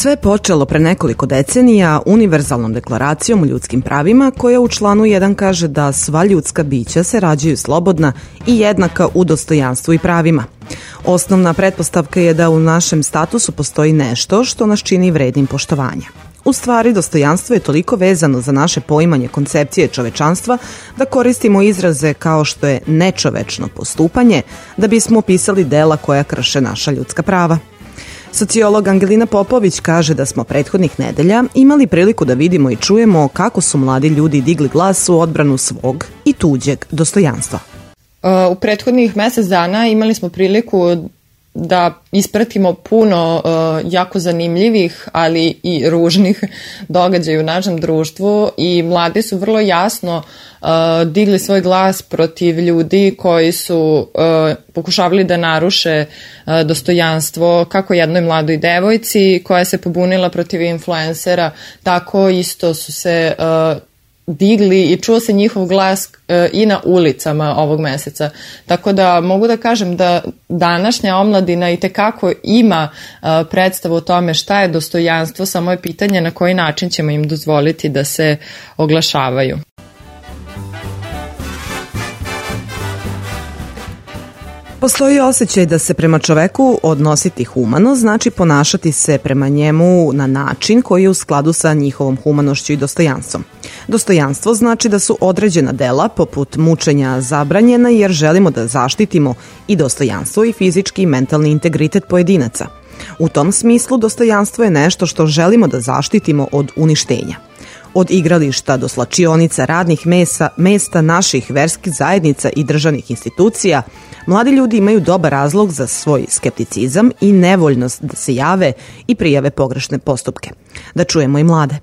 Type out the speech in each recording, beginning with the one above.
Sve je počelo pre nekoliko decenija univerzalnom deklaracijom o ljudskim pravima koja u članu 1 kaže da sva ljudska bića se rađaju slobodna i jednaka u dostojanstvu i pravima. Osnovna pretpostavka je da u našem statusu postoji nešto što nas čini vrednim poštovanja. U stvari, dostojanstvo je toliko vezano za naše poimanje koncepcije čovečanstva da koristimo izraze kao što je nečovečno postupanje da bismo opisali dela koja krše naša ljudska prava. Sociolog Angelina Popović kaže da smo prethodnih nedelja imali priliku da vidimo i čujemo kako su mladi ljudi digli glas u odbranu svog i tuđeg dostojanstva. U prethodnih mesec dana imali smo priliku da ispratimo puno jako zanimljivih, ali i ružnih događaja u našem društvu i mladi su vrlo jasno digli svoj glas protiv ljudi koji su pokušavali da naruše dostojanstvo kako jednoj mladoj devojci koja se pobunila protiv influencera, tako isto su se digli i čuo se njihov glas i na ulicama ovog meseca. Tako da mogu da kažem da današnja omladina itekako ima predstavu o tome šta je dostojanstvo, samo je pitanje na koji način ćemo im dozvoliti da se oglašavaju. Postoji osjećaj da se prema čoveku odnositi humano znači ponašati se prema njemu na način koji je u skladu sa njihovom humanošću i dostojanstvom. Dostojanstvo znači da su određena dela poput mučenja zabranjena jer želimo da zaštitimo i dostojanstvo i fizički i mentalni integritet pojedinaca. U tom smislu dostojanstvo je nešto što želimo da zaštitimo od uništenja. Od igrališta do slačionica, radnih mesta naših verskih zajednica i državnih institucija, mladi ljudi imaju dobar razlog za svoj skepticizam i nevoljnost da se jave i prijave pogrešne postupke. Da čujemo i mlade.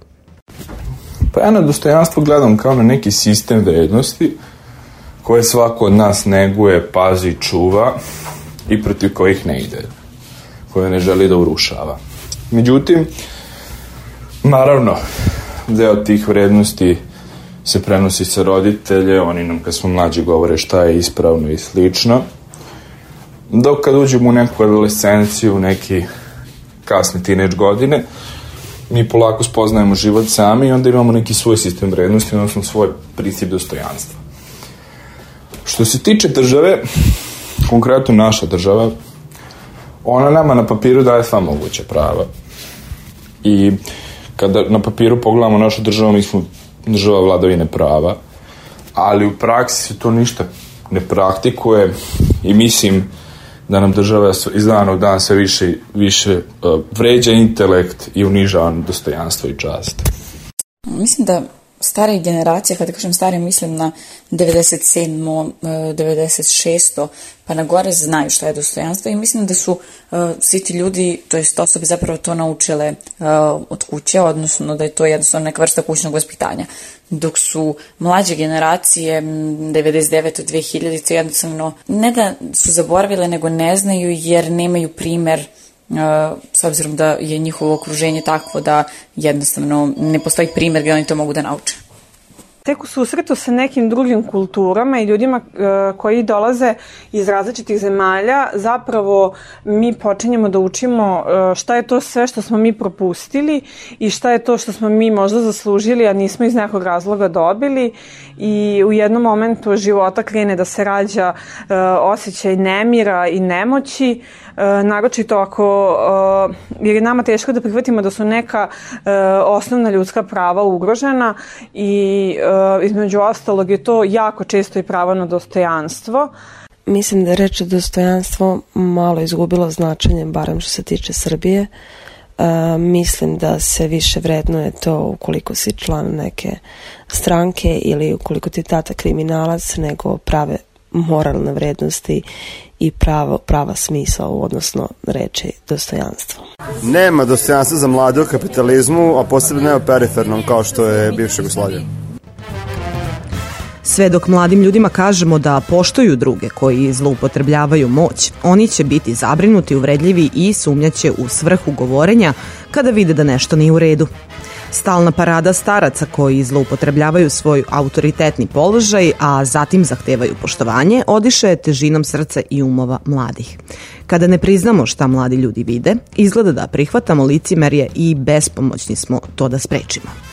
Pa ja na dostojanstvo gledam kao na neki sistem vrednosti koje svako od nas neguje, pazi, čuva i protiv kojih ne ide, koje ne želi da urušava. Međutim, naravno, deo tih vrednosti se prenosi sa roditelje, oni nam kad smo mlađi govore šta je ispravno i slično. Dok kad uđemo u neku adolescenciju, neki kasne tinejdž godine, mi polako spoznajemo život sami i onda imamo neki svoj sistem vrednosti, odnosno svoj princip dostojanstva. Što se tiče države, konkretno naša država, ona nama na papiru daje sva moguća prava. I kada na papiru pogledamo našu državu, mi smo država vladavine prava, ali u praksi se to ništa ne praktikuje i mislim da nam država iz dana u dan sve više vređa intelekt i unižava dostojanstvo i čast. Mislim da starije generacije, kada kažem starije, mislim na 97. 96. pa na gore znaju šta je dostojanstvo i mislim da su svi ti ljudi, to jest osobe zapravo to naučile od kuće, odnosno da je to jednostavno neka vrsta kućnog vaspitanja. Dok su mlađe generacije 99. 2000. jednostavno ne da su zaboravile, nego ne znaju jer nemaju primer s obzirom da je njihovo okruženje takvo da jednostavno ne postoji primjer gdje oni to mogu da nauče. Tek u susretu sa nekim drugim kulturama i ljudima koji dolaze iz različitih zemalja, zapravo mi počinjemo da učimo šta je to sve što smo mi propustili i šta je to što smo mi možda zaslužili, a nismo iz nekog razloga dobili i u jednom momentu života krene da se rađa osjećaj nemira i nemoći, naročito ako jer je nama teško da prihvatimo da su neka osnovna ljudska prava ugrožena i između ostalog je to jako često i pravo na dostojanstvo. Mislim da je reč dostojanstvo malo izgubilo značenje, barem što se tiče Srbije. Mislim da se više vrednuje to ukoliko si član neke stranke ili ukoliko ti tata kriminalac, nego prave moralne vrednosti i prava smisla, odnosno reči dostojanstvo. Nema dostojanstva za mlade u kapitalizmu, a posebno ne u perifernom kao što je bivša Jugoslavija. Sve dok mladim ljudima kažemo da poštuju druge koji zloupotrebljavaju moć, oni će biti zabrinuti, uvredljivi i sumnjaće u svrhu govorenja kada vide da nešto nije u redu. Stalna parada staraca koji zloupotrebljavaju svoj autoritetni položaj, a zatim zahtevaju poštovanje, odiše težinom srca i umova mladih. Kada ne priznamo šta mladi ljudi vide, izgleda da prihvatamo licemerje i bespomoćni smo to da sprečimo.